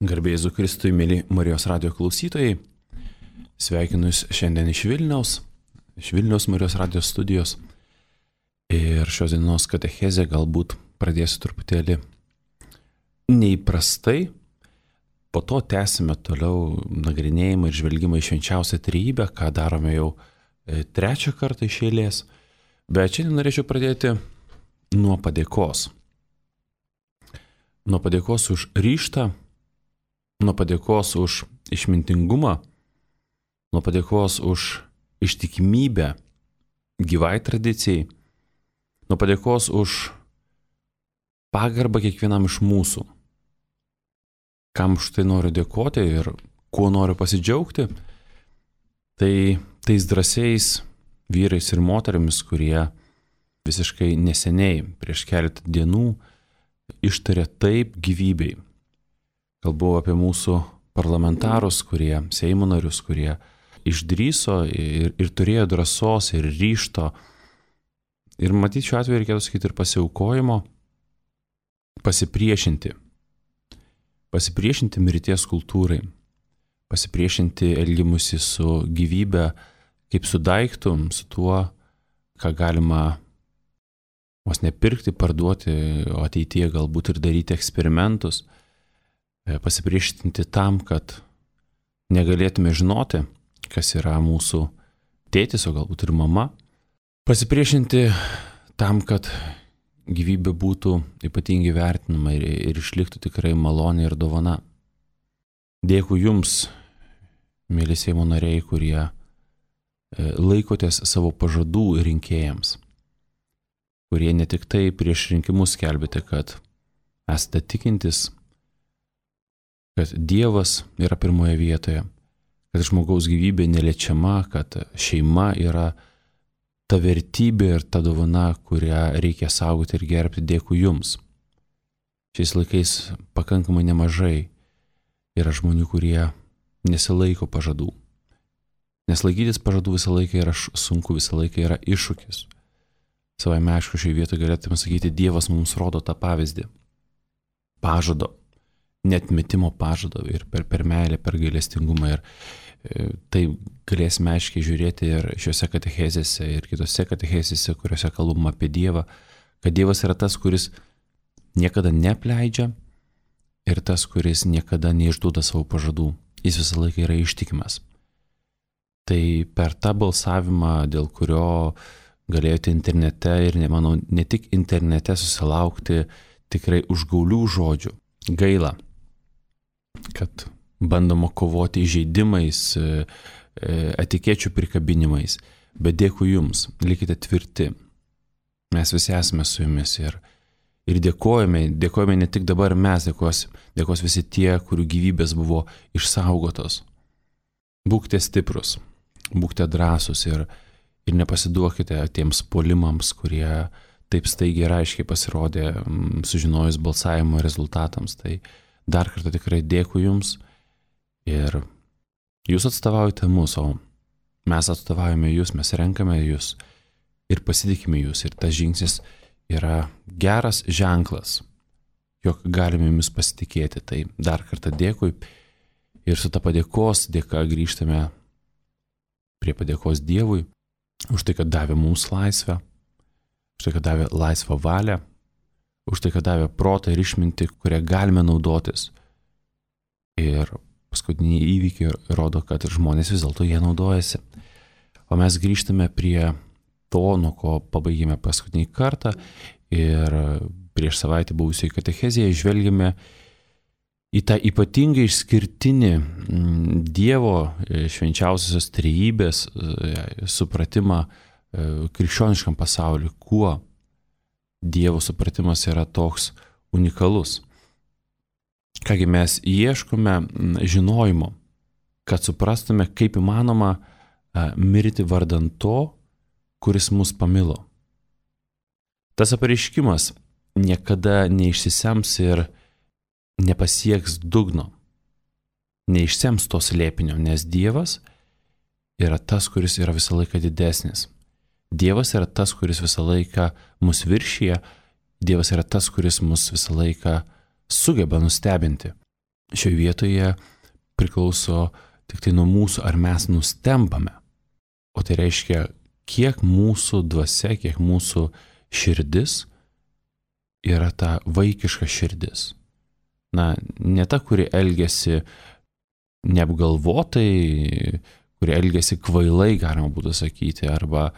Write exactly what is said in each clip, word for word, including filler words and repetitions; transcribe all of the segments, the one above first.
Garbė Jėzui Kristui, mėly Marijos radijo klausytojai, sveikinu Jūs šiandien iš Vilniaus, iš Vilniaus Marijos radijo studijos. Ir šios dienos katechezę galbūt pradėsiu truputėlį neįprastai, po to tęsime toliau nagrinėjimą ir žvelgimą į švenčiausią trejybę, ką darome jau trečią kartą iš eilės. Bet šiandien norėčiau pradėti nuo padėkos. Nuo padėkos už ryžtą, nuo padėkos už išmintingumą, nuo padėkos už ištikimybę gyvai tradicijai, nuo padėkos už pagarbą kiekvienam iš mūsų. Kam už tai noriu dėkoti ir kuo noriu pasidžiaugti, tai tais drąsiais vyrais ir moterimis, kurie visiškai neseniai, prieš keletą dienų, ištarė taip gyvybei. Kalbu apie mūsų parlamentarus, kurie, Seimo narius, kurie išdrįso ir, ir turėjo drąsos ir ryžto. Ir matyti šiuo atveju reikėtų sakyti ir pasiaukojimo, pasipriešinti. Pasipriešinti mirties kultūrai, pasipriešinti elgimusi su gyvybe, kaip su daiktu, su tuo, ką galima vos nepirkti, parduoti, o ateityje galbūt ir daryti eksperimentus. Pasipriešinti tam, kad negalėtume žinoti, kas yra mūsų tėtis, o galbūt ir mama. Pasipriešinti tam, kad gyvybė būtų ypatingai vertinama ir, ir išliktų tikrai malonė ir dovana. Dėkui Jums, mėly Seimo nariai, kurie laikotės savo pažadų rinkėjams, kurie ne tik tai prieš rinkimus skelbėte, kad esate tikintis, kad Dievas yra pirmoje vietoje, kad žmogaus gyvybė neliečiama, kad šeima yra ta vertybė ir ta dovana, kurią reikia saugoti ir gerbti. Dėkui Jums. Šiais laikais pakankamai nemažai yra žmonių, kurie nesilaiko pažadų. Nes laikytis pažadų visą laiką yra sunku, visą laiką yra iššūkis. Savaime aišku, šioje vietoje galėtume sakyti, Dievas mums rodo tą pavyzdį. Pažado. Netmetimo pažado ir per, per meilę, per gailestingumą. Ir e, tai galėsime aiškiai žiūrėti ir šiuose katechezėse, ir kitose katechezėse, kuriuose kalbama apie Dievą, kad Dievas yra tas, kuris niekada neapleidžia ir tas, kuris niekada neišduoda savo pažadų. Jis visą laiką yra ištikimas. Tai per tą balsavimą, dėl kurio galėjote internete ir, manau, ne tik internete susilaukti tikrai užgaulių žodžių. Gaila, kad bandoma kovoti įžeidimais, etikečių prikabinimais, bet dėkui Jums, likite tvirti. Mes visi esame su Jumis ir, ir dėkojame, dėkojame ne tik dabar mes, dėkos, dėkos visi tie, kurių gyvybės buvo išsaugotos. Būkite stiprus, būkite drąsūs ir, ir nepasiduokite tiems puolimams, kurie taip staigiai ir aiškiai pasirodė sužinojus balsavimo rezultatams. Tai dar kartą tikrai dėkui Jums ir Jūs atstovaujate mus, o mes atstovaujame Jūs, mes renkame Jūs ir pasitikime Jūs. Ir tas žingsnis yra geras ženklas, jog galime Jumis pasitikėti. Tai dar kartą dėkui ir su ta padėkos dėka grįžtame prie padėkos Dievui už tai, kad davė mums laisvę, už tai, kad davė laisvą valią, už tai, kad davė protą ir išmintį, kurią galime naudotis. Ir paskutiniai įvykiai rodo, kad žmonės vis dėlto jie naudojasi. O mes grįžtame prie to, nuo ko pabaigėme paskutinį kartą ir prieš savaitę buvusioje katechezėje žvelgėme į tą ypatingai išskirtinį Dievo švenčiausiosios trejybės supratimą krikščioniškam pasauliu, kuo Dievo supratimas yra toks unikalus. Kągi mes ieškome žinojimo, kad suprastume, kaip įmanoma mirti vardan to, kuris mus pamilo. Tas apreiškimas niekada neišsisems ir nepasieks dugno, neišsems to slėpinio, nes Dievas yra tas, kuris yra visą laiką didesnis. Dievas yra tas, kuris visą laiką mus viršyje, Dievas yra tas, kuris mus visą laiką sugeba nustebinti. šioje vietoje priklauso tik tai nuo mūsų, ar mes nustembame. O tai reiškia, kiek mūsų dvasia, kiek mūsų širdis yra ta vaikiška širdis. Na, ne ta, kuri elgiasi neapgalvotai, kuri elgiasi kvailai, galima būtų sakyti, arba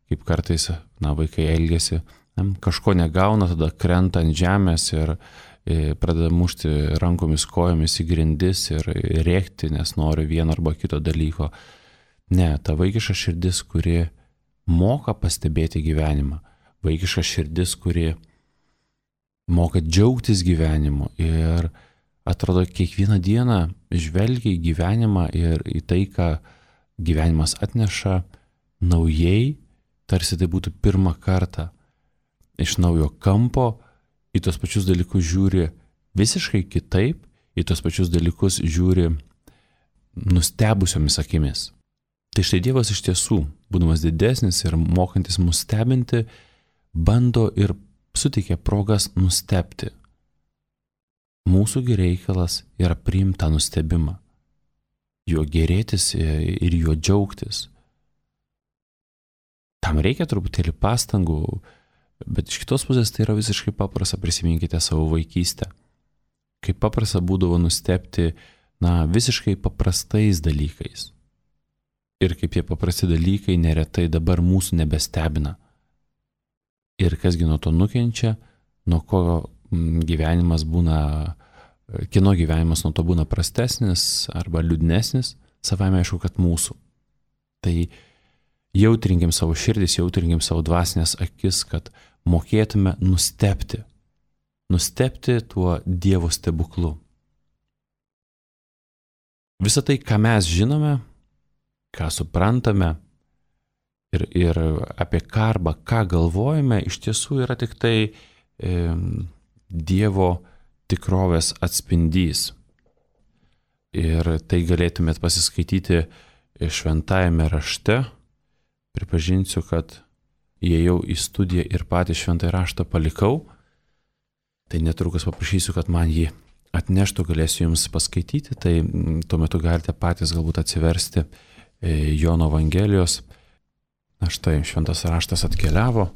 kaip kartais, na, vaikai elgiasi, na, kažko negauna, tada krenta ant žemės ir pradeda mušti rankomis, kojomis į grindis ir rėkti, nes nori vieno arba kito dalyko. Ne, ta vaikiška širdis, kuri moka pastebėti gyvenimą. Vaikiška širdis, kuri moka džiaugtis gyvenimu ir atrodo kiekvieną dieną žvelgia į gyvenimą ir į tai, ką gyvenimas atneša naujai, tarsi tai būtų pirmą kartą iš naujo kampo, į tos pačius dalykus žiūri visiškai kitaip, į tos pačius dalykus žiūri nustebusiomis akimis. Tai štai Dievas iš tiesų, būdamas didesnis ir mokantis mus stebinti, bando ir suteikia progas nustebti. Mūsų reikalas yra priimti tą nustebimą, juo gėrėtis ir juo džiaugtis. Tam reikia truputėlį pastangų, bet iš kitos pusės tai yra visiškai paprasta, prisiminkite savo vaikystę. Kaip paprasta būdavo nustebti, na, visiškai paprastais dalykais. Ir kaip tie paprasti dalykai neretai dabar mūsų nebestebina. Ir kasgi nuo to nukenčia, nuo ko gyvenimas būna, kieno gyvenimas nuo to būna prastesnis arba liūdnesnis, savame aišku, kad mūsų. Tai jautrinkim savo širdis, jautrinkim savo dvasinės akis, kad mokėtume nustebti. Nustebti tuo Dievo stebuklu. Visą tai, ką mes žinome, ką suprantame ir, ir apie ką arba ką galvojame, iš tiesų yra tik tai e, Dievo tikrovės atspindys. Ir tai galėtumėt pasiskaityti šventajame rašte. Pripažinsiu, kad įėjau į studiją ir patį šventąjį raštą palikau, tai netrukus paprašysiu, kad man jį atneštų, galėsiu jums paskaityti, tai tuo metu galite patys galbūt atsiversti Jono Evangelijos. Na štai, šventas raštas atkeliavo.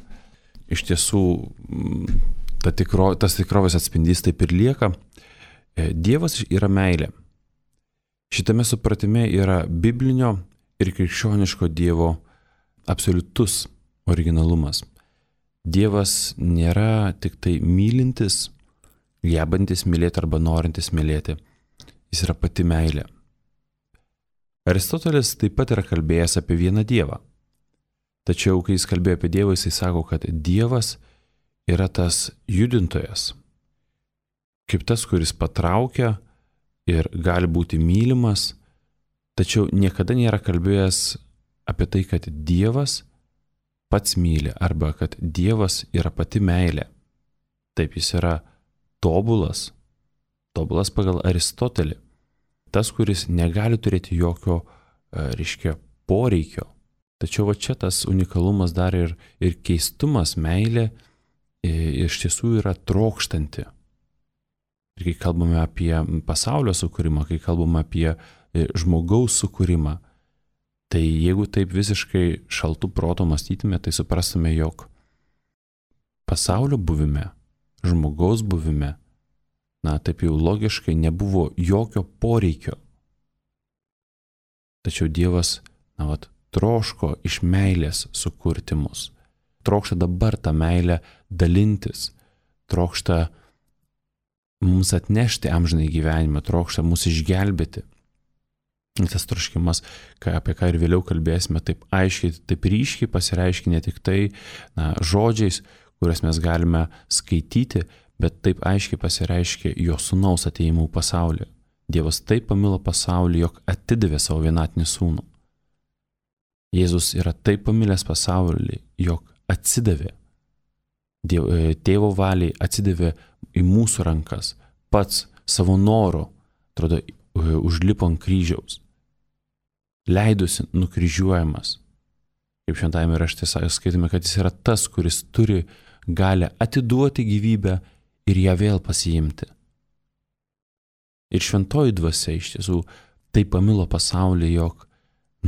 Iš tiesų, ta tikro, tas tikrovės atspindys taip ir lieka. Dievas yra meilė. Šitame supratime yra biblinio ir krikščioniško Dievo absoliutus originalumas. Dievas nėra tik tai mylintis, gebantis mylėti arba norintis mylėti. Jis yra pati meilė. Aristotelis taip pat yra kalbėjęs apie vieną Dievą. Tačiau, kai jis kalbėjo apie Dievą, jis sako, kad Dievas yra tas judintojas, kaip tas, kuris patraukia ir gali būti mylimas, tačiau niekada nėra kalbėjęs apie tai, kad Dievas pats myli arba kad Dievas yra pati meilė. Taip, jis yra tobulas, tobulas pagal Aristotelį. Tas, kuris negali turėti jokio, reiškia, poreikio. Tačiau va čia tas unikalumas dar ir, ir keistumas, meilė iš tiesų yra trokštanti. Ir kai kalbame apie pasaulio sukūrimą, kai kalbame apie žmogaus sukūrimą, tai jeigu taip visiškai šaltų proto mąstytume, tai suprastume, jog pasaulio buvime, žmogaus buvime, na taip jau logiškai nebuvo jokio poreikio. Tačiau Dievas, na vat, troško iš meilės sukurti mus. Trokšta dabar tą meilę dalintis, trokšta mums atnešti amžinai gyvenimą, trokšta mus išgelbėti. Tas troškimas, apie ką ir vėliau kalbėsime, taip aiškiai, taip ryškiai pasireiškia ne tik tai na, žodžiais, kuriuos mes galime skaityti, bet taip aiškiai pasireiškia jo sūnaus atėjimų pasaulį. Dievas taip pamilo pasaulį, jog atidavė savo vienatinį sūnų. Jėzus yra taip pamilęs pasaulį, jog atsidavė. Dievo, tėvo valiai atsidavė į mūsų rankas, pats savo noru, atrodo, užlipo ant kryžiaus, leidusi nukryžiuojamas. Kaip šventajame rašte skaitome, kad jis yra tas, kuris turi galę atiduoti gyvybę ir ją vėl pasiimti. Ir šventoji dvasia iš tiesų taip pamilo pasaulį, jog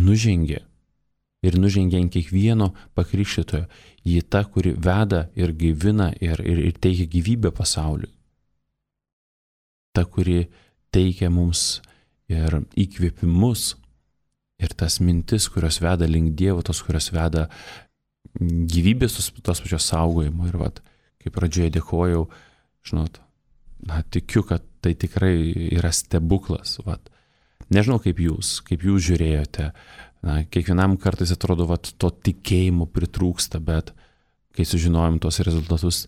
nužengė ir nužengė ant kiekvieno pakrikštytojo. Ji ta, kuri veda ir gaivina ir, ir, ir teikia gyvybę pasauliui. Ta, kuri teikia mums ir įkvėpimus ir tas mintis, kurios veda link Dievo, tos, kurios veda gyvybės, tos, tos pačios saugojimo. Ir vat, kaip pradžioje dėkojau, žinot, na, tikiu, kad tai tikrai yra stebuklas. Vat. Nežinau, kaip jūs, kaip jūs žiūrėjote. Na, kiekvienam kartais atrodo, vat, to tikėjimo pritrūksta, bet kai sužinojom tos rezultatus,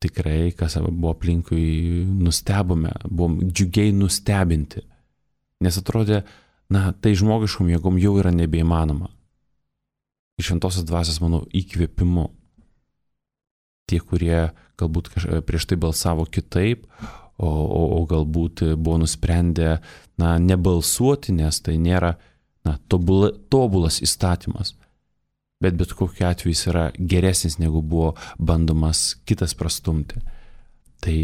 tikrai, kas buvo aplinkui, nustebome, buvom džiugiai nustebinti. Nes atrodė, na, tai žmogiškom jėgom jau yra nebeįmanoma. Iš šventosios dvasios, manau, įkvėpimu. Tie, kurie galbūt prieš tai balsavo kitaip, o, o, o galbūt buvo nusprendę, na, nebalsuoti, nes tai nėra, na, tobula, tobulas įstatymas. Bet bet kokiu atveju jis yra geresnis, negu buvo bandomas kitas prastumti. Tai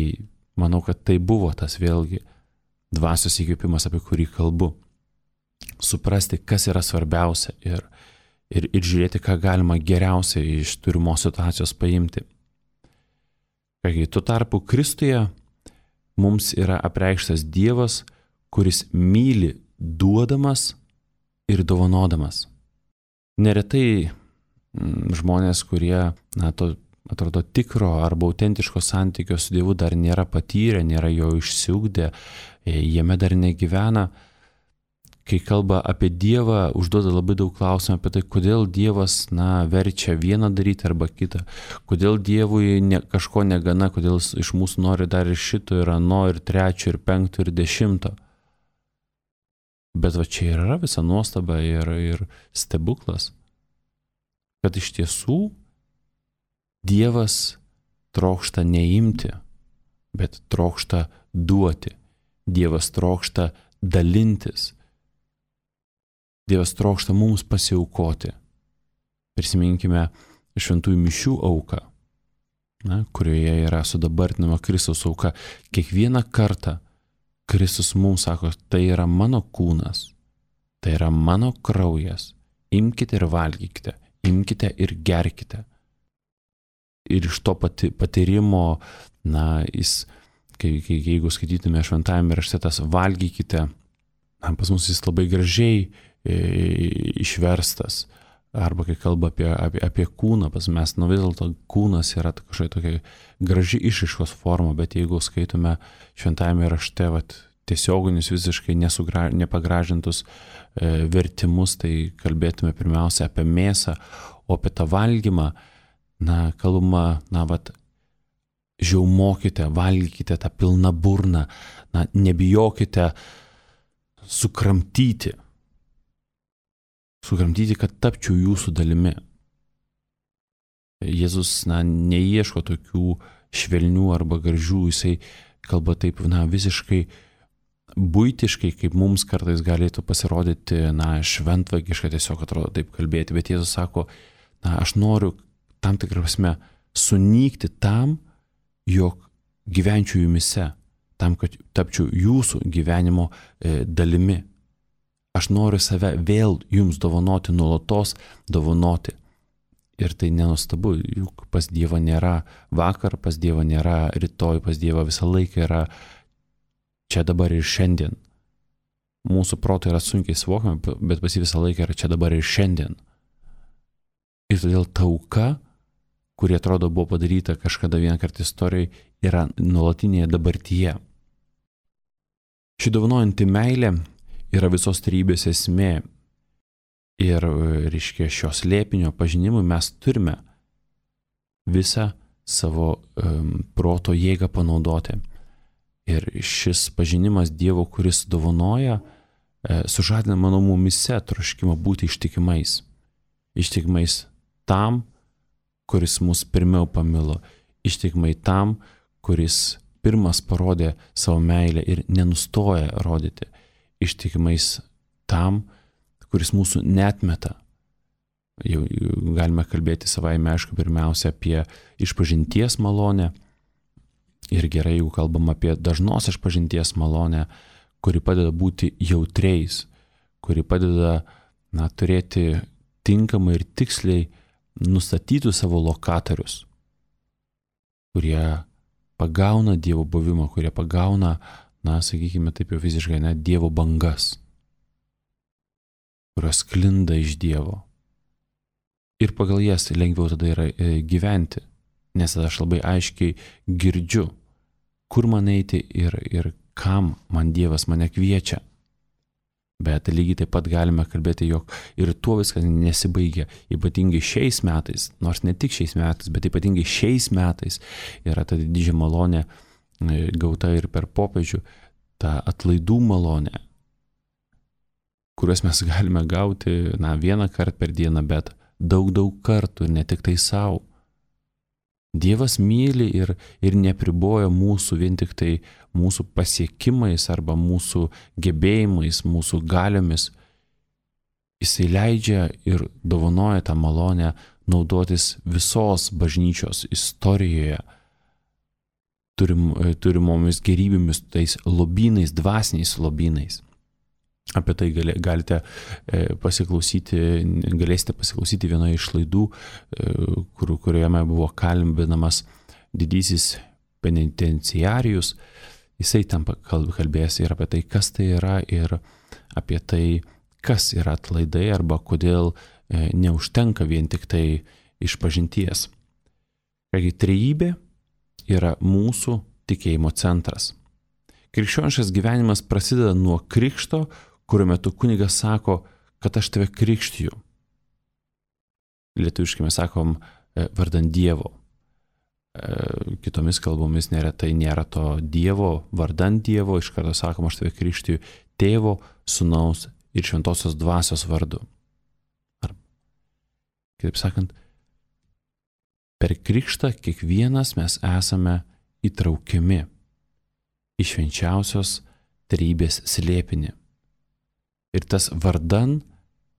manau, kad tai buvo tas vėlgi dvasios įkvėpimas, apie kurį kalbu. Suprasti, kas yra svarbiausia ir, ir, ir žiūrėti, ką galima geriausiai iš turimos situacijos paimti. Kai tuo tarpu Kristuje mums yra apreikštas Dievas, kuris myli duodamas ir dovanodamas. Neretai žmonės, kurie, na, to atrodo tikro arba autentiško santykio su Dievu dar nėra patyrę, nėra jo išsiugdę, jame dar negyvena, kai kalba apie Dievą, užduoda labai daug klausimų apie tai, kodėl Dievas, na, verčia vieną daryti arba kitą, kodėl Dievui ne, kažko negana, kodėl iš mūsų nori dar ir šito, ir ano, ir trečio, ir penkto, ir dešimto. Bet va čia yra visa nuostaba ir, ir stebuklas, kad iš tiesų Dievas trokšta neimti, bet trokšta duoti. Dievas trokšta dalintis. Dievas trokšta mums pasiaukoti. Prisiminkime šventųjų mišių auką, na, kurioje yra sudabartinama Kristaus auka. Kiekvieną kartą Kristus mums sako, tai yra mano kūnas, tai yra mano kraujas. Imkite ir valgykite, imkite ir gerkite. Ir iš to pati, patyrimo, na, jis, kai, kai, jeigu skaitytume šventajame rašte tas valgykite, na, pas mus jis labai gražiai e, išverstas. Arba kai kalba apie, apie, apie kūną, pas mes, nu vis dėlto kūnas yra kažkokia tokia graži išraiškos forma, bet jeigu skaitume šventajame rašte, vat, tiesioginius visiškai nesugra, nepagražintus e, vertimus, tai kalbėtume pirmiausia apie mėsą, o apie tą valgymą, na, kalbama, na, vat, žiaumokite, valgykite tą pilną burną, na, nebijokite sukramtyti. Sukramtyti, kad tapčiau jūsų dalimi. Jėzus, na, neieško tokių švelnių arba gražių, jisai kalba taip, na, visiškai buitiškai, kaip mums kartais galėtų pasirodyti, na, šventvagiška tiesiog atrodo taip kalbėti, bet Jėzus sako, na, aš noriu tam tikrą prasme sunykti tam, jog gyvenčiau jumise, tam, kad tapčiau jūsų gyvenimo e, dalimi. Aš noriu save vėl jums dovanoti, nuolatos dovanoti. Ir tai nenuostabu, juk pas Dievą nėra vakar, pas Dievą nėra rytoj, pas Dievą visą laiką yra čia dabar ir šiandien. Mūsų proto yra sunkiai suvokiama, bet pas jį visą laiką yra čia dabar ir šiandien. Ir todėl ta auka, kuri atrodo buvo padaryta kažkada vieną kartą istorijoje, yra nuolatinėje dabartyje. Ši dovanojanti meilė yra visos trejybės esmė. Ir, reiškia, šios slėpinio pažinimui mes turime visą savo um, proto jėgą panaudoti. Ir šis pažinimas Dievo, kuris dovanoja, e, sužadina mano mumise troškimą būti ištikimais. Ištikimais tam, kuris mus pirmiau pamilo. Ištikimai tam, kuris pirmas parodė savo meilę ir nenustoja rodyti. Ištikimais tam, kuris mūsų neatmeta. Jau, jau galime kalbėti savaime, aišku, pirmiausia apie išpažinties malonę. Ir gerai, jeigu kalbam apie dažnos išpažinties malonę, kuri padeda būti jautriais, kuri padeda, na, turėti tinkamai ir tiksliai nustatytų savo lokatorius, kurie pagauna Dievo buvimą, kurie pagauna, na, sakykime taip jau fiziškai, ne, Dievo bangas, kurios sklinda iš Dievo. Ir pagal jas lengviau tada yra gyventi, nes tada aš labai aiškiai girdžiu, kur man eiti ir, ir kam man Dievas mane kviečia. Bet lygiai taip pat galime kalbėti, jog ir tuo viskas nesibaigia. Ypatingai šiais metais, nors ne tik šiais metais, bet ypatingai šiais metais yra ta didžiulė malonė gauta ir per popiežių, ta atlaidų malonė, kuriuos mes galime gauti, na, vieną kartą per dieną, bet daug, daug kartų ir ne tik tai savo. Dievas myli ir, ir nepriboja mūsų vien tik tai mūsų pasiekimais arba mūsų gebėjimais, mūsų galiomis. Jisai leidžia ir dovanoja tą malonę naudotis visos bažnyčios istorijoje turim, turimomis gerybėmis, tais lobynais, dvasiniais lobynais. Apie tai gali, galite pasiklausyti, galėsite pasiklausyti vienoje iš laidų, kur, kuriame buvo kalbinamas didysis penitenciarijus. Jisai tam kalbės ir apie tai, kas tai yra, ir apie tai, kas yra atlaidai arba kodėl neužtenka vien tik tai išpažinties. Kągi, trejybė yra mūsų tikėjimo centras. Krikščioniškas gyvenimas prasideda nuo krikšto, kurio metu kunigas sako, kad aš tave krikštiju. Lietuviškai mes sakom vardan Dievo. Kitomis kalbomis neretai nėra to Dievo, vardan Dievo, iš karto sakom, aš tave krikštiju Tėvo, Sūnaus ir Šventosios Dvasios vardu. Ar, kitaip sakant, per krikštą kiekvienas mes esame įtraukiami į švenčiausios trejybės slėpinį. Ir tas vardan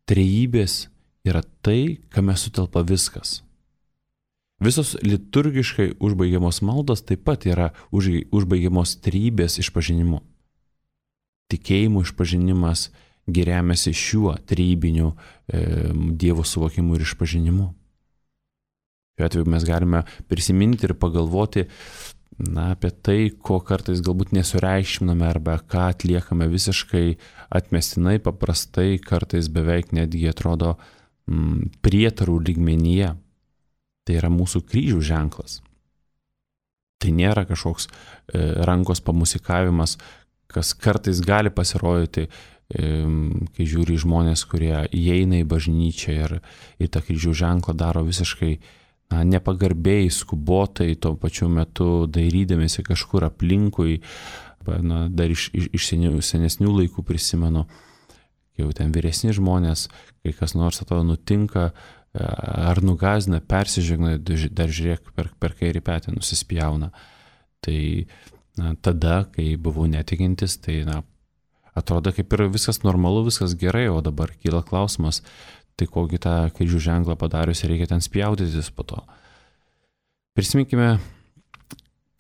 trejybės yra tai, kame sutelpa viskas. Visos liturgiškai užbaigiamos maldos taip pat yra užbaigiamos trejybės išpažinimu. Tikėjimo išpažinimas remiasi šiuo trejybiniu e, Dievo suvokimu ir išpažinimu. Šiuo atveju mes galime prisiminti ir pagalvoti, na, apie tai, ko kartais galbūt nesureikšminame arba ką atliekame visiškai atmestinai, paprastai, kartais beveik netgi atrodo mm, prietarų lygmenyje. Tai yra mūsų kryžių ženklas. Tai nėra kažkoks e, rankos pamusikavimas, kas kartais gali pasirodyti, e, kai žiūri žmonės, kurie įeina į bažnyčią ir, ir tą kryžių ženklą daro visiškai na, nepagarbiai, skubotai, tuo pačiu metu dairydamėsi kažkur aplinkui. Na, dar iš, iš, iš senesnių laikų prisimenu, jau ten vyresni žmonės, kai kas nors atrodo nutinka, ar nugazina, persižegna, dar žiūrėk, per, per kairį petį nusispjauna. Tai na, tada, kai buvau netikintis, tai na, atrodo kaip ir viskas normalu, viskas gerai, o dabar kyla klausimas, tai kokį tą kryžių ženklą padarius reikia ten spjaudytis po to. Prisiminkime,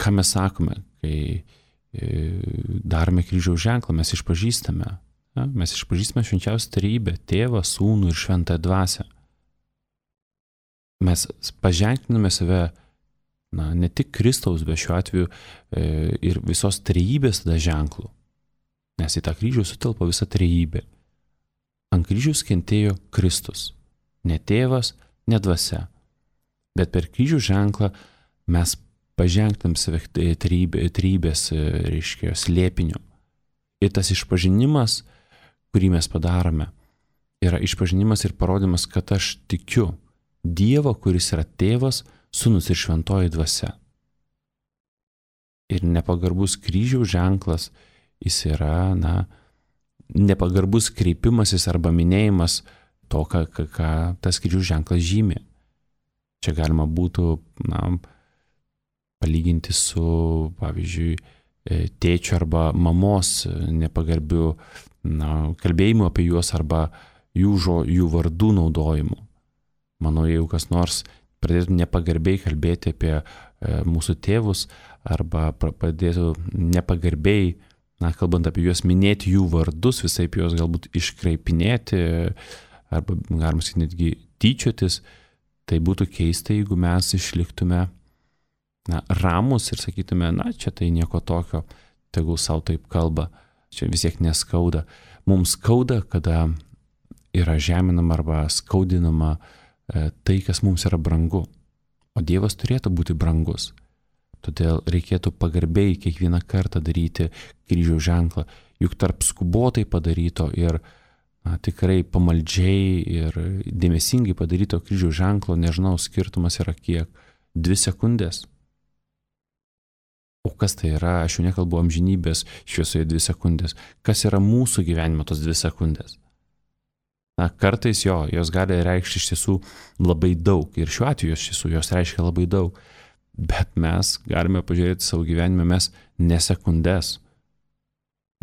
ką mes sakome, kai darome kryžiaus ženklą, mes išpažįstame. Ja, mes išpažįstame švenčiausią trejybę, Tėvą, Sūnų ir Šventąją Dvasią. Mes paženkliname save, na, ne tik Kristaus, bet šiuo atveju e, ir visos trejybės tada ženklų. Nes į tą kryžių sutelpa visa trejybė. Ant kryžiaus kentėjo Kristus. Ne Tėvas, ne Dvasia. Bet per kryžių ženklą mes paženklinam save trejybės, reiškia, slėpiniu. Ir tas išpažinimas, kurį mes padarome, yra išpažinimas ir parodymas, kad aš tikiu Dievą, kuris yra Tėvas, Sūnus ir Šventoji Dvasia. Ir nepagarbus kryžiaus ženklas, jis yra, na, nepagarbus kreipimasis arba minėjimas to, ką, ką, ką tas kryžiaus ženklas žymi. Čia galima būtų, na, palyginti su, pavyzdžiui, tėčio arba mamos nepagarbiu, na, kalbėjimu apie juos arba jų, žo, jų vardų naudojimu. Manau, jeigu kas nors pradėtų nepagarbiai kalbėti apie e, mūsų tėvus arba pradėtų nepagarbiai, na, kalbant apie juos, minėti jų vardus, visaip juos galbūt iškreipinėti, arba galima sakyti netgi tyčiotis, tai būtų keista, jeigu mes išliktume na, ramus ir sakytume, na, čia tai nieko tokio, tegul savo taip kalba, čia vis tiek neskauda. Mums skauda, kada yra žeminama arba skaudinama e, tai, kas mums yra brangu. O Dievas turėtų būti brangus. Todėl reikėtų pagarbiai kiekvieną kartą daryti kryžiaus ženklą, juk tarp skubotai padaryto ir na, tikrai pamaldžiai ir dėmesingai padaryto kryžiaus ženklo, nežinau, skirtumas yra kiek, dvi sekundės. O kas tai yra, aš jau nekalbu amžinybės šviesoje dvi sekundės, kas yra mūsų gyvenimo tos dvi sekundės. Na, kartais jo, jos gali reikšti iš tiesų labai daug ir šiuo atveju iš tiesų jos reiškia labai daug. Bet mes galime pažiūrėti savo gyvenime, mes ne sekundės,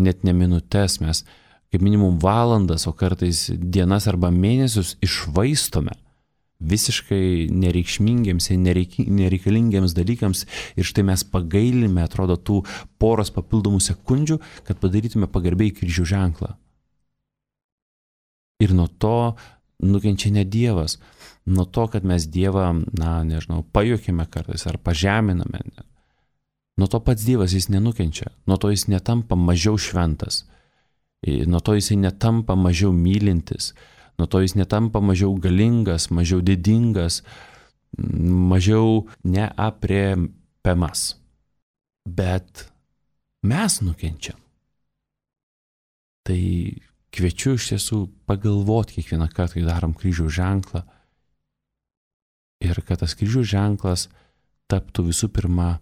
net ne minutės, mes kaip minimum valandas, o kartais dienas arba mėnesius išvaistome visiškai nereikšmingiams ir nereik, nereikalingiams dalykams ir štai mes pagailime, atrodo, tų poros papildomų sekundžių, kad padarytume pagarbiai kryžiaus ženklą. Ir nuo to nukenčia ne Dievas. Nuo to, kad mes Dievą, na, nežinau, pajuokime kartais ar pažeminame. Nuo to pats Dievas jis nenukenčia. Nuo to jis netampa mažiau šventas. Nuo to jis netampa mažiau mylintis. Nuo to jis netampa mažiau galingas, mažiau didingas, mažiau neaprėpiamas. Bet mes nukenčiam. Tai kviečiu iš tiesų pagalvoti kiekvieną kartą, kai darom kryžiaus ženklą. Ir kad tas kryžiaus ženklas taptų visų pirma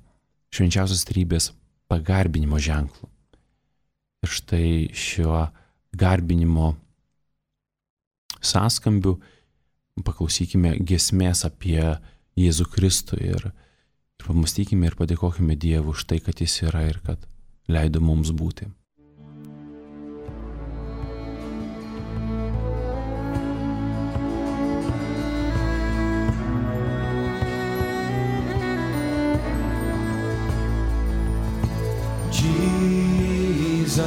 švenčiausios trejybės pagarbinimo ženklu. Ir štai šiuo garbinimo sąskambiu paklausykime giesmės apie Jėzų Kristų ir, ir pamastykime ir padėkokime Dievui už tai, kad jis yra ir kad leido mums būti. Jesus,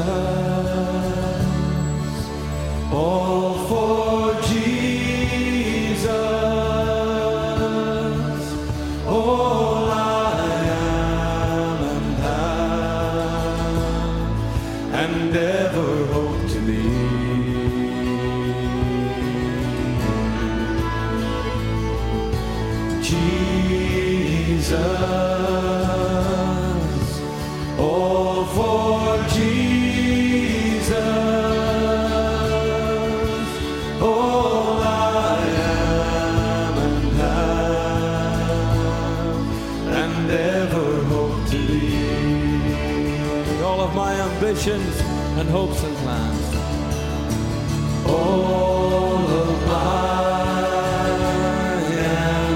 all for Jesus, all I am and have, and ever hope to be. Jesus. And hopes and plans. All of my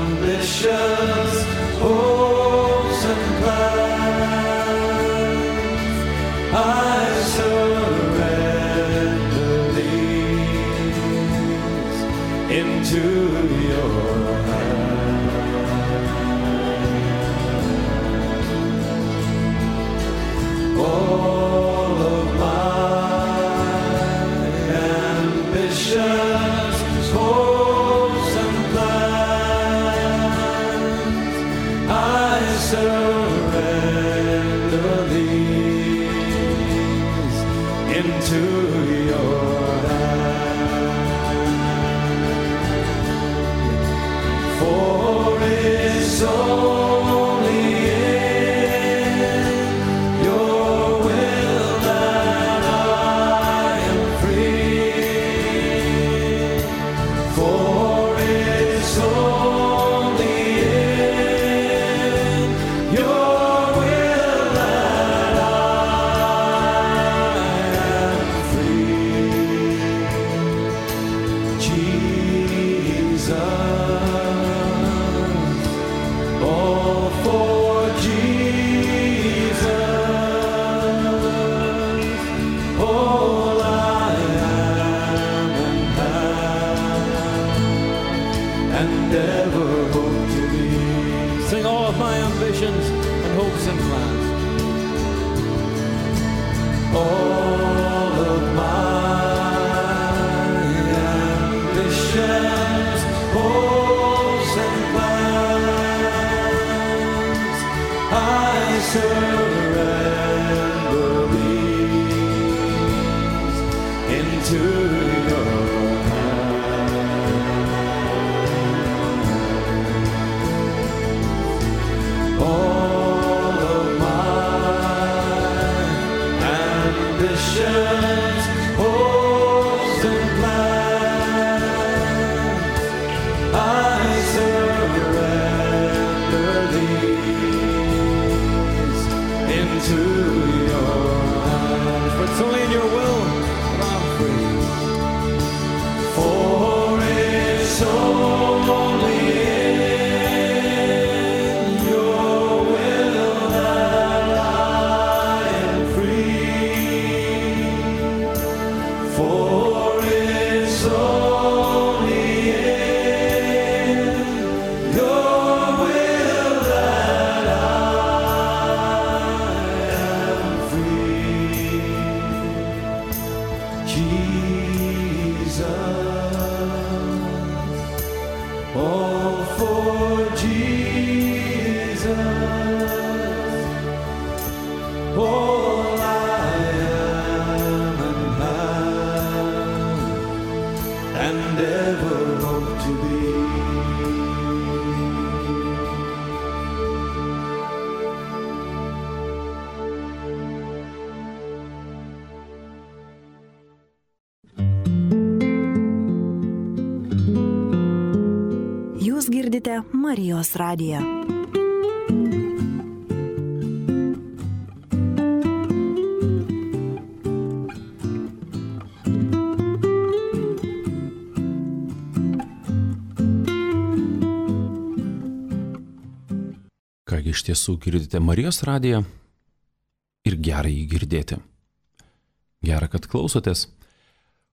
ambitions, hopes and plans, I surrender these into your hands. Oh, hopes and plans, I surrender these into your hands. For it's only in your will that I am free. For it's only in your will that I am free. Jesus, oh. into your hands. All of my ambitions, hopes and plans, I surrender these into your hands. For it's only in your will that I'm free. For it's only in your will that I am free. For it's only in your will that I am free. Jesus, all for Jesus, all I am and have, and ever hope to be. Jūs girdite Marijos radiją. Kągi iš tiesų girdite Marijos radiją ir gera jį girdėti. Gera, kad klausotės.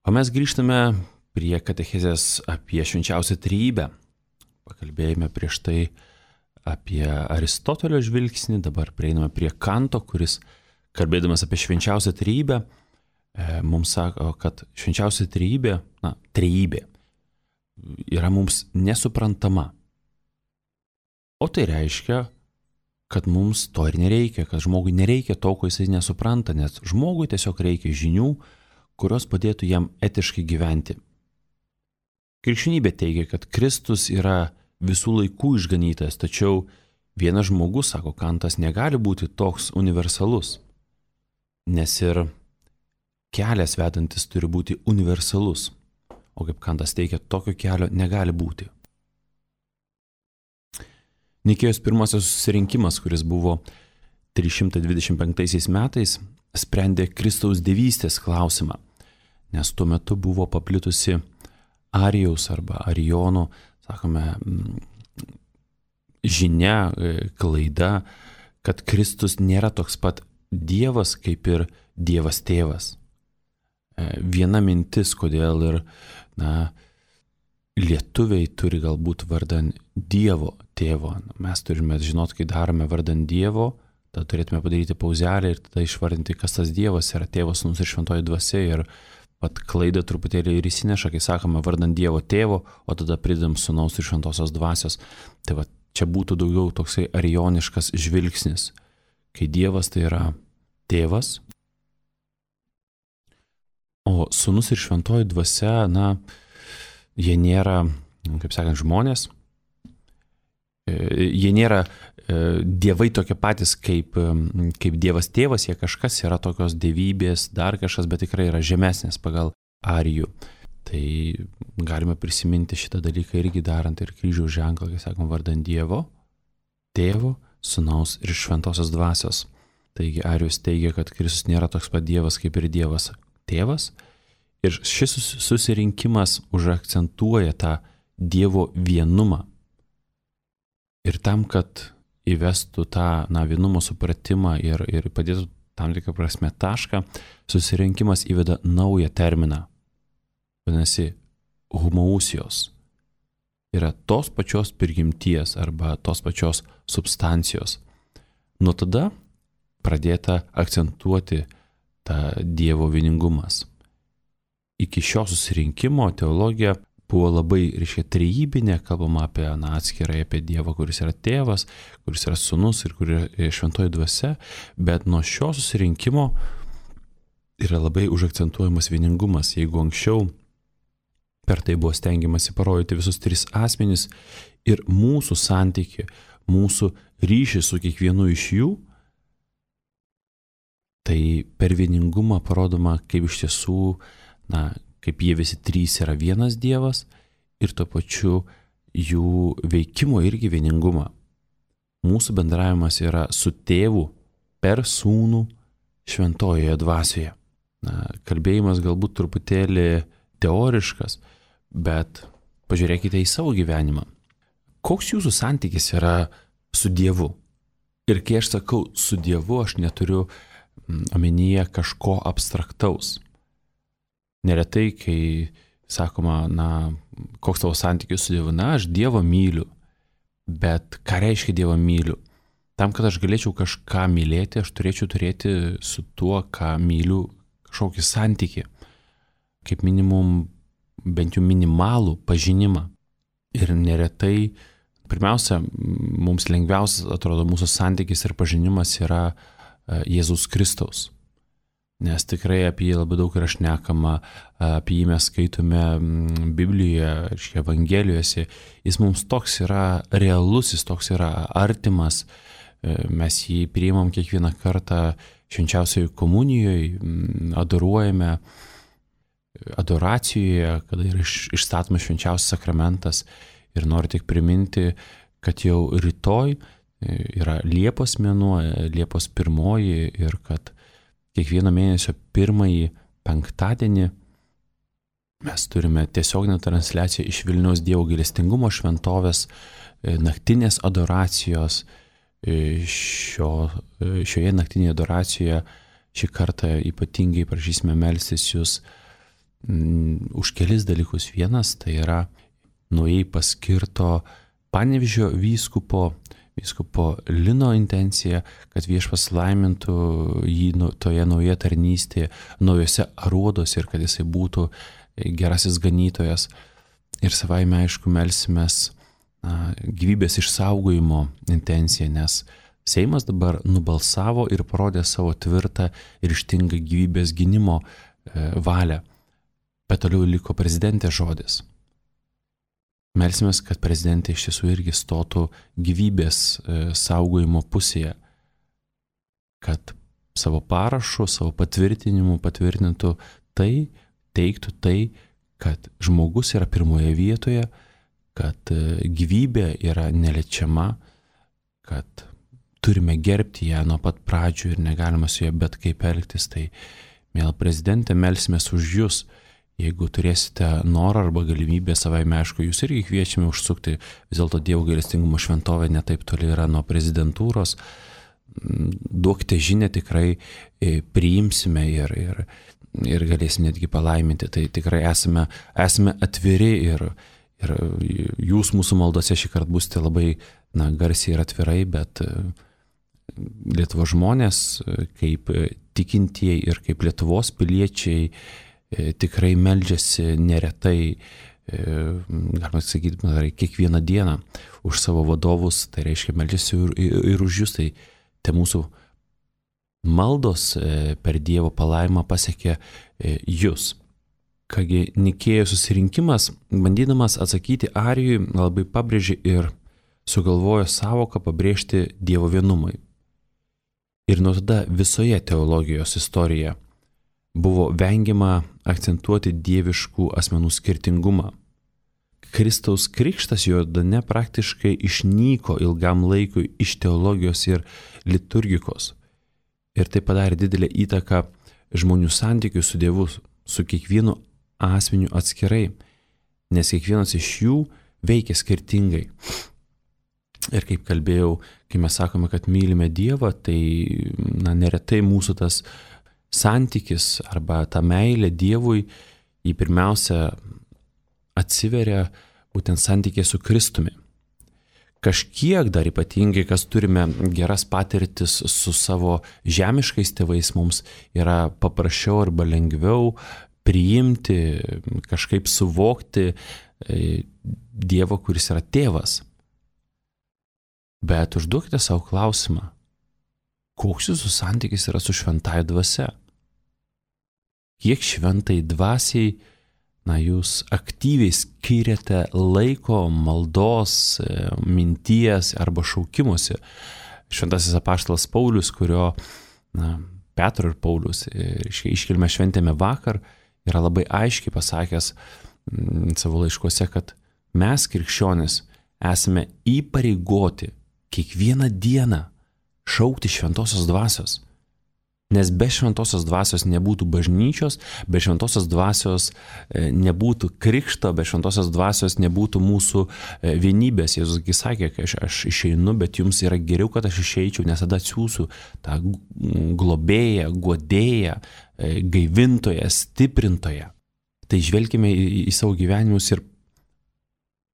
O mes grįžtame prie katechezės apie švenčiausią trejybę. Pakalbėjome prieš tai apie Aristotelio žvilgsnį, dabar prieiname prie Kanto, kuris, kalbėdamas apie švenčiausią trejybę, mums sako, kad švenčiausia trejybė, na, trejybė, yra mums nesuprantama. O tai reiškia, kad mums to ir nereikia, kad žmogui nereikia to, ko jisai nesupranta, nes žmogui tiesiog reikia žinių, kurios padėtų jam etiškai gyventi. Krikščionybė teigia, kad Kristus yra visų laikų išganytojas, tačiau vienas žmogus, sako Kantas, negali būti toks universalus, nes ir kelias vedantis turi būti universalus, o kaip Kantas teigia, tokio kelio negali būti. Nikėjos pirmasis susirinkimas, kuris buvo trys šimtai dvidešimt penktaisiais metais, sprendė Kristaus dievystės klausimą, nes tuo metu buvo paplitusi Arijaus arba Arijono, sakome, žinia, klaida, kad Kristus nėra toks pat Dievas kaip ir Dievas tėvas. Viena mintis, kodėl ir, na, lietuviai turi galbūt vardan Dievo tėvo. Mes turime žinoti, kai darome vardan Dievo, tada turėtume padaryti pauzelę ir tada išvardinti, kas tas Dievas yra, tėvas, sūnus ir šventoji dvasia. Ir pat klaidą truputėlį ir įsineša, kai sakome vardan Dievo tėvo, o tada pridedam sūnaus ir šventosios dvasios. Tai va, čia būtų daugiau toksai arijoniškas žvilgsnis, kai Dievas tai yra tėvas, o sūnus ir šventoji dvasia, na, jie nėra, kaip sakant, žmonės, jie nėra dievai tokie patys kaip, kaip Dievas tėvas, jie kažkas yra tokios dievybės, dar kažkas, bet tikrai yra žemesnės pagal Arijų. Tai galime prisiminti šitą dalyką irgi darant ir kryžiaus ženklą, kai sakom, vardan Dievo, tėvo, sūnaus ir šventosios dvasios. Taigi Arijus teigia, kad Kristus nėra toks pat Dievas kaip ir Dievas tėvas. Ir šis susirinkimas užakcentuoja tą Dievo vienumą. Ir tam, kad įvestų tą, na, vienumo supratimą ir, ir padėtų tam tikrą prasme tašką, susirinkimas įveda naują terminą. Vadinasi, homousijos. Yra tos pačios prigimties arba tos pačios substancijos. Nuo tada pradėta akcentuoti tą Dievo vieningumas. Iki šio susirinkimo teologija buvo labai, reiškia, trejybinė, kalbama apie, na, atskirai apie Dievą, kuris yra tėvas, kuris yra sūnus ir kuris yra šventoji dvasia, bet nuo šio susirinkimo yra labai užakcentuojamas vieningumas. Jeigu anksčiau per tai buvo stengiamasi parodyti visus tris asmenis ir mūsų santykį, mūsų ryšį su kiekvienu iš jų, tai per vieningumą parodoma, kaip iš tiesų, na, kaip jie visi trys yra vienas Dievas ir tuo pačiu jų veikimo irgi vieningumą. Mūsų bendravimas yra su tėvu per sūnų šventojoje dvasioje. Na, kalbėjimas galbūt truputėlį teoriškas, bet pažiūrėkite į savo gyvenimą. Koks jūsų santykis yra su Dievu? Ir kai aš sakau su Dievu, aš neturiu omenyje kažko abstraktaus. Neretai, kai sakoma, na, koks tavo santykis su Dievu, na, aš Dievą myliu. Bet ką reiškia Dievą myliu? Tam, kad aš galėčiau kažką mylėti, aš turėčiau turėti su tuo, ką myliu, kažkokį santykį. Kaip minimum, bent jau minimalų pažinimą. Ir neretai, pirmiausia, mums lengviausias atrodo mūsų santykis ir pažinimas yra Jėzus Kristaus. Nes tikrai apie jį labai daug yra šnekama, apie jį mes skaitome Biblijoje, Evangelijose. Jis mums toks yra realus, jis toks yra artimas. Mes jį priimam kiekvieną kartą švenčiausioje komunijoje, adoruojame adoracijoje, kada yra išstatomas švenčiausias sakramentas. Ir noriu tik priminti, kad jau rytoj yra Liepos mėnuo, Liepos pirmoji ir kad kiekvieno mėnesio pirmąjį penktadienį mes turime tiesioginę transliaciją iš Vilniaus Dievo gailestingumo šventovės, naktinės adoracijos. Šio, šioje naktinėje adoracijoje šį kartą ypatingai prašysime melstis jūs m, už kelis dalykus. Vienas tai yra naujai paskirto Panevėžio vyskupo, vyskupo Lino intencija, kad Viešpats laimintų jį toje naujoje tarnystėje, naujose aruodose ir kad jisai būtų gerasis ganytojas. Ir savaime, aišku, melsimės na, gyvybės išsaugojimo intenciją, nes Seimas dabar nubalsavo ir parodė savo tvirtą ir ryžtingą gyvybės gynimo e, valią. Bet toliau liko prezidentės žodis. Melsimės, kad prezidentė iš tiesų irgi stotų gyvybės e, saugojimo pusėje, kad savo parašu, savo patvirtinimu patvirtintų tai, teiktų tai, kad žmogus yra pirmoje vietoje, kad gyvybė yra neliečiama, kad turime gerbti ją nuo pat pradžių ir negalima su ją bet kaip elgtis. Tai, mėla prezidentė, melsimės už jūs. Jeigu turėsite norą arba galimybę, savaime aišku, jūs irgi kviečiame užsukti, vis dėlto Dievo gailestingumo šventovė netaip toli yra nuo prezidentūros. Duokite žinią, tikrai priimsime ir, ir, ir galėsime netgi palaiminti. Tai tikrai esame, esame atviri ir Ir jūs mūsų maldose šį kartą būsite labai na, garsiai ir atvirai, bet Lietuvos žmonės, kaip tikintieji ir kaip Lietuvos piliečiai, tikrai meldžiasi neretai, galima sakyti, kiekvieną dieną už savo vadovus, tai reiškia meldžiasi ir, ir, ir už jūs. Tai te mūsų maldos per Dievo palaimą pasiekė jūs. Kągi Nikėjos susirinkimas, bandydamas atsakyti Arijui, labai pabrėžė ir sugalvojo sąvoką pabrėžti Dievo vienumui. Ir nuo tada visoje teologijos istorijoje buvo vengiama akcentuoti dieviškų asmenų skirtingumą. Kristaus krikštas Jordane praktiškai išnyko ilgam laikui iš teologijos ir liturgikos. Ir tai padarė didelę įtaką žmonių santykių su Dievu, su kiekvienu asmeniu atskirai, nes kiekvienas iš jų veikia skirtingai. Ir kaip kalbėjau, kai mes sakome, kad mylime Dievą, tai na, neretai mūsų tas santykis arba ta meilė Dievui, jį pirmiausia atsiveria būtent santykė su Kristumi. Kažkiek dar ypatingai, kas turime geras patirtis su savo žemiškais tėvais, mums yra paprasčiau arba lengviau priimti, kažkaip suvokti Dievą, kuris yra tėvas. Bet užduokite savo klausimą, koks jūsų santykis yra su šventąja dvasia? kiek šventai dvasiai, na, jūs aktyviai skiriate laiko, maldos, minties arba šaukimuose. Šventasis apaštalas Paulius, kurio, na, Petro ir Paulius iškilmę šventėme vakar, yra labai aiškiai pasakęs m, savo laiškuose, kad mes, krikščionys, esame įpareigoti kiekvieną dieną šaukti šventosios dvasios. Nes be šventosios dvasios nebūtų bažnyčios, be šventosios dvasios nebūtų krikšto, be šventosios dvasios nebūtų mūsų vienybės. Jėzus sakė, kad aš, aš išeinu, bet jums yra geriau, kad aš išeičiau, nes tada atsiųsiu tą globėją, guodėją, gaivintoją, stiprintoją. Tai žvelkime į, į savo gyvenimus ir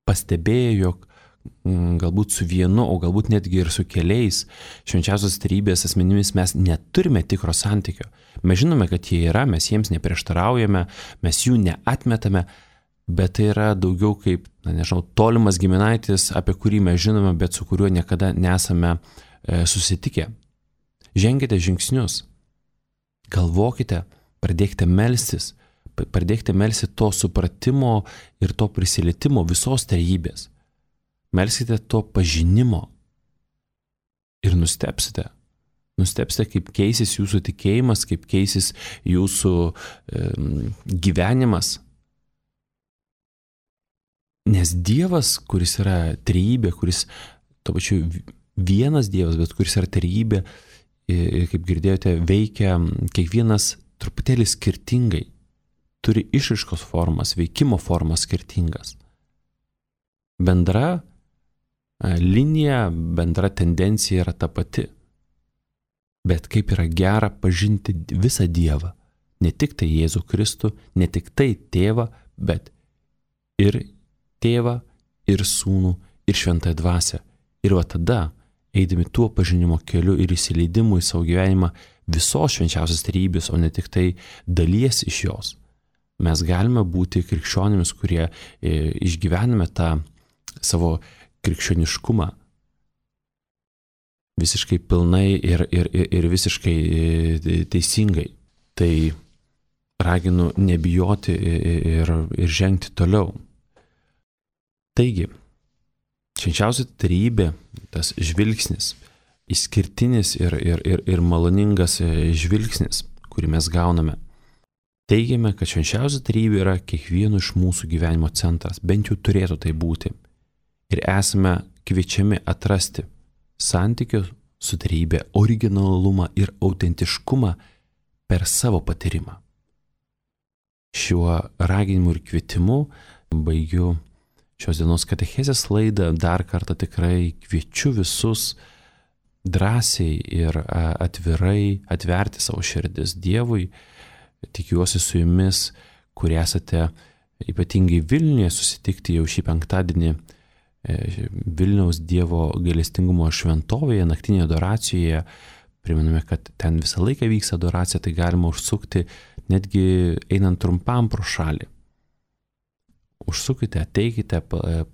pastebėję, jog galbūt su vienu, o galbūt netgi ir su keliais švenčiausios trejybės asmenimis mes neturime tikro santykio. Mes žinome, kad jie yra, mes jiems neprieštaraujame, mes jų neatmetame, bet tai yra daugiau kaip, na, nežinau, tolimas giminaitis, apie kurį mes žinome, bet su kuriuo niekada nesame e, susitikę. Ženkite žingsnius, galvokite, pradėkite melstis, pradėkite melsti to supratimo ir to prisilietimo visos trejybės. Melskite to pažinimo ir nustebsite. Nustebsite, kaip keisis jūsų tikėjimas, kaip keisis jūsų e, gyvenimas. Nes Dievas, kuris yra trejybė, kuris to pačiu vienas Dievas, bet kuris yra trejybė, e, kaip girdėjote, veikia kiekvienas truputėlį skirtingai. Turi išraiškos formas, veikimo formas skirtingas. Bendra linija, bendra tendencija yra ta pati. Bet kaip yra gera pažinti visą Dievą. Ne tik tai Jėzų Kristų, ne tik tai Tėvą, bet ir Tėvą, ir Sūnų, ir Šventąją Dvasią. Ir va tada, eidami tuo pažinimo keliu ir įsileidimu į savo gyvenimą visos švenčiausios trejybės, o ne tik tai dalies iš jos, mes galime būti krikščionimis, kurie išgyvename tą savo krikščioniškumą visiškai pilnai ir, ir, ir visiškai teisingai. Tai raginu nebijoti ir, ir žengti toliau. Taigi, švenčiausia trejybė, tas žvilgsnis, išskirtinis ir, ir, ir, ir maloningas žvilgsnis, kurį mes gauname. Teigiame, kad švenčiausia trejybė yra kiekvieno iš mūsų gyvenimo centras, bent jau turėtų tai būti. Ir esame kviečiami atrasti santykių su trejybė originalumą ir autentiškumą per savo patyrimą. Šiuo raginimu ir kvietimu baigiu šios dienos katechezės laidą. Dar kartą tikrai kviečiu visus drąsiai ir atvirai atverti savo širdis Dievui. Tikiuosi su jumis, kurie esate ypatingai Vilniuje, susitikti jau šį penktadienį Vilniaus Dievo gailestingumo šventovėje, naktinėje adoracijoje. Priminame, kad ten visą laiką vyks adoracija, tai galima užsukti netgi einant trumpam pro šalį. Užsukite, ateikite,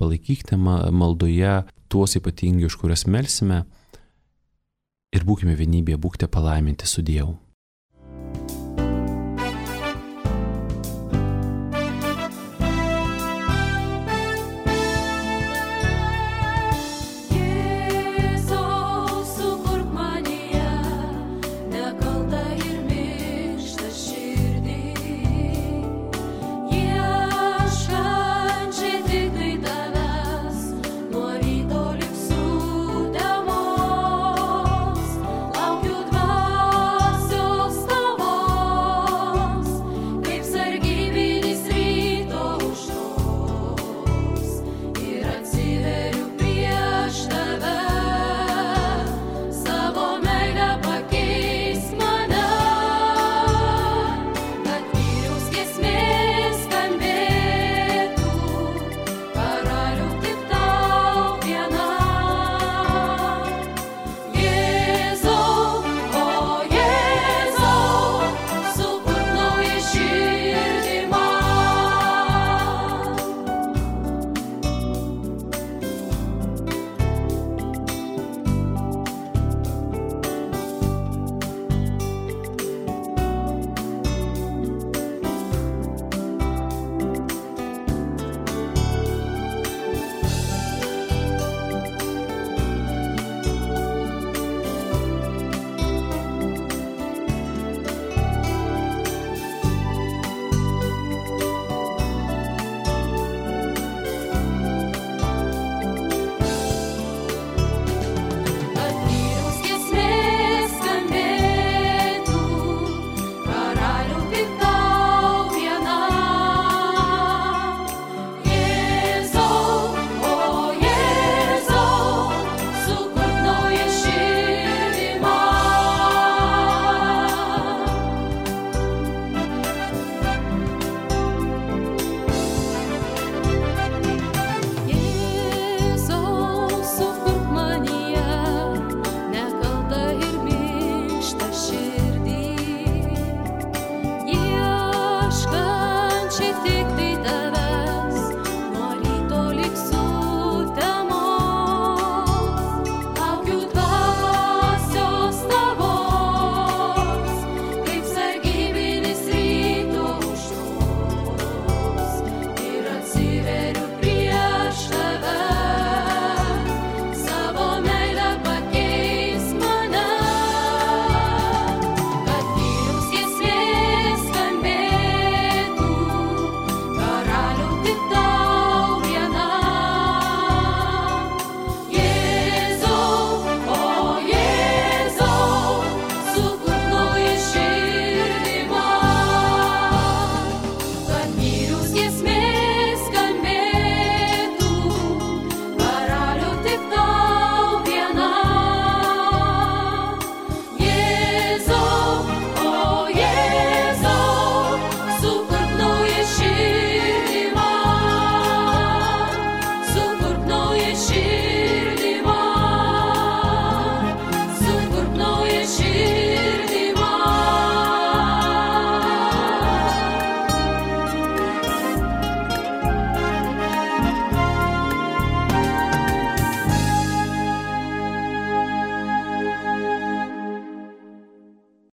palaikykite maldoje tuos ypatingai, už kurias melsime, ir būkime vienybėje, būkite palaiminti su Dievu.